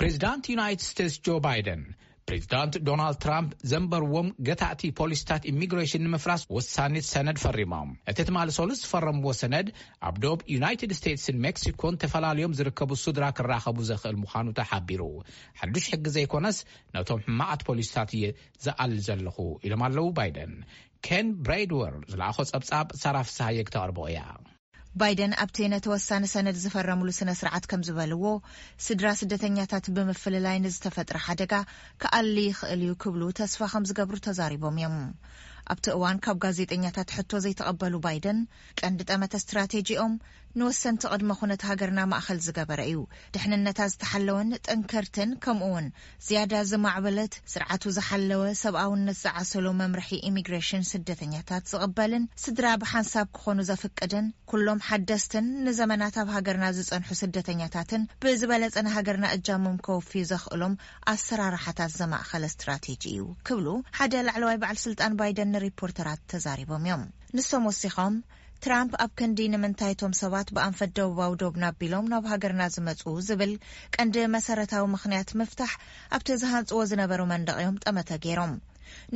ፕሬዚዳንት ዩናይትድ ስቴትስ ጆ ባይደን፣ ፕሬዚዳንት ዶናልድ ትራምፕ ዘንበርዎም ገታእቲ ፖሊሲታት ኢሚግሬሽን ንምፍራስ ወሳኒት ሰነድ ፈሪሞም። እቲ ትማሊ ሰሉስ ዝፈረምዎ ሰነድ ኣብ ዶብ ዩናይትድ ስቴትስን ሜክሲኮን ተፈላልዮም ዝርከቡ ስድራ ክራኸቡ ዘኽእል ምዃኑ ተሓቢሩ። ሓዱሽ ሕጊ ዘይኮነስ ነቶም ሕማቓት ፖሊሲታት እየ ዝኣል ዘለኹ ኢሎም ኣለዉ ባይደን። ኬን ብሬድወር ዝለኣኾ ጸብጻብ ሳራ ፍስሃየ ክተቕርቦ እያ። ባይደን ኣብቲ ነቲ ወሳኒ ሰነድ ዝፈረምሉ ስነ ስርዓት ከም ዝበልዎ፣ ስድራ ስደተኛታት ብምፍልላይ ንዝተፈጥረ ሓደጋ ክኣሊ ይኽእል እዩ ክብሉ ተስፋ ከም ዝገብሩ ተዛሪቦም እዮም። ኣብቲ እዋን ካብ ጋዜጠኛታት ሕቶ ዘይተቐበሉ ባይደን፣ ቀንዲ ጠመተ ስትራቴጂኦም ንወሰንቲ ቅድመ ኩነት ሃገርና ማእኸል ዝገበረ እዩ። ድሕንነታ ዝተሓለወን ጥንክርትን ከምኡ እውን ዝያዳ ዝማዕበለት ስርዓቱ ዝሓለወ ሰብኣውነት ዝዓሰሎ መምርሒ ኢሚግሬሽን ስደተኛታት ዝቕበልን ስድራ ብሓንሳብ ክኾኑ ዘፍቅድን ኩሎም ሓደስትን ንዘመናት ኣብ ሃገርና ዝጸንሑ ስደተኛታትን ብዝበለጸ ንሃገርና እጃሞም ከወፍዩ ዘኽእሎም ኣሰራርሓታት ዘማእኸለ ስትራቴጂ እዩ ክብሉ ሓደ ላዕለዋይ በዓል ስልጣን ባይደን ንሪፖርተራት ተዛሪቦም እዮም። ንሶም ወሲኾም ትራምፕ ኣብ ክንዲ ንምንታይ እቶም ሰባት ብኣንፈት ደቡባዊ ዶብና ኣቢሎም ናብ ሃገርና ዝመጹ ዝብል ቀንዲ መሰረታዊ ምኽንያት ምፍታሕ ኣብቲ ዝሃንጽዎ ዝነበሩ መንደቕ እዮም ጠመተ ገይሮም።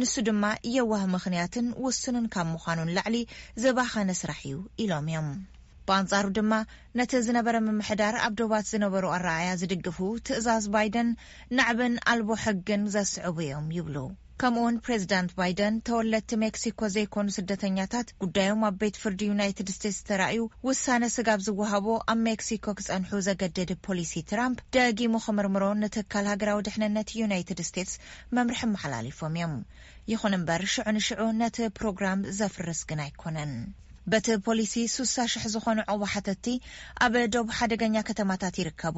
ንሱ ድማ የዋህ ምኽንያትን ውሱንን ካብ ምዃኑን ላዕሊ ዝባኸነ ስራሕ እዩ ኢሎም እዮም። ብኣንጻሩ ድማ ነቲ ዝነበረ ምምሕዳር ኣብ ዶባት ዝነበሩ ኣረኣያ ዝድግፉ ትእዛዝ ባይደን ናዕብን ኣልቦ ሕግን ዘስዕቡ እዮም ይብሉ። ከምኡውን ፕሬዚዳንት ባይደን ተወለድቲ ሜክሲኮ ዘይኮኑ ስደተኛታት ጉዳዮም ኣብ ቤት ፍርዲ ዩናይትድ ስቴትስ ተራእዩ ውሳነ ስጋብ ዝወሃቦ ኣብ ሜክሲኮ ክጸንሑ ዘገድድ ፖሊሲ ትራምፕ ደጊሙ ክምርምሮ ንትካል ሃገራዊ ድሕንነት ዩናይትድ ስቴትስ መምርሒ ኣመሓላሊፎም እዮም። ይኹን እምበር ሽዑ ንሽዑ ነቲ ፕሮግራም ዘፍርስ ግን ኣይኮነን። በቲ ፖሊሲ ሱሳ ሽሕ ዝኾኑ ዑቕባ ሓተትቲ ኣብ ዶብ ሓደገኛ ከተማታት ይርከቡ።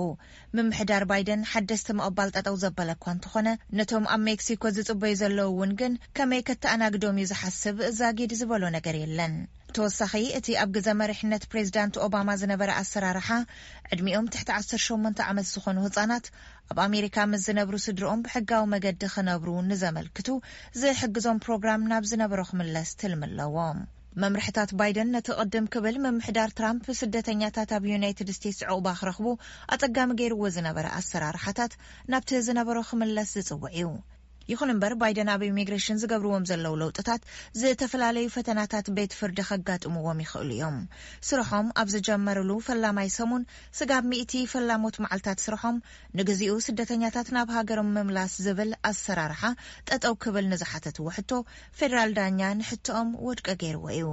ምምሕዳር ባይደን ሓደስቲ ምቕባል ጠጠው ዘበለ እኳ እንተኾነ፣ ነቶም ኣብ ሜክሲኮ ዝጽበዩ ዘለዉ እውን ግን ከመይ ከተኣናግዶም እዩ ዝሓስብ ዛጊድ ዝበሎ ነገር የለን። ተወሳኺ እቲ ኣብ ግዘ መሪሕነት ፕሬዚዳንት ኦባማ ዝነበረ ኣሰራርሓ ዕድሚኦም ትሕቲ ዓሰርተ ሸሞንተ ዓመት ዝኾኑ ህጻናት ኣብ ኣሜሪካ ምስ ዝነብሩ ስድርኦም ብሕጋዊ መገዲ ክነብሩ ንዘመልክቱ ዝሕግዞም ፕሮግራም ናብ ዝነበሮ ክምለስ ትልሚ ኣለዎ። መምርሕታት ባይደን ነቲ ቅድም ክብል ምምሕዳር ትራምፕ ስደተኛታት ኣብ ዩናይትድ ስቴትስ ዕቑባ ክረኽቡ ኣጸጋሚ ገይርዎ ዝነበረ ኣሰራርሓታት ናብቲ ዝነበሮ ክምለስ ዝጽውዕ እዩ። ይኹን እምበር ባይደን ኣብ ኢሚግሬሽን ዝገብርዎም ዘለዉ ለውጥታት ዝተፈላለዩ ፈተናታት ቤት ፍርዲ ከጋጥምዎም ይኽእሉ እዮም። ስርሖም ኣብ ዝጀመርሉ ፈላማይ ሰሙን ስጋብ ሚእቲ ፈላሞት መዓልታት ስርሖም ንግዚኡ ስደተኛታት ናብ ሃገሮም ምምላስ ዝብል ኣሰራርሓ ጠጠው ክብል ንዝሓተትዎ ሕቶ ፌደራል ዳኛ ንሕቶኦም ውድቂ ገይርዎ እዩ።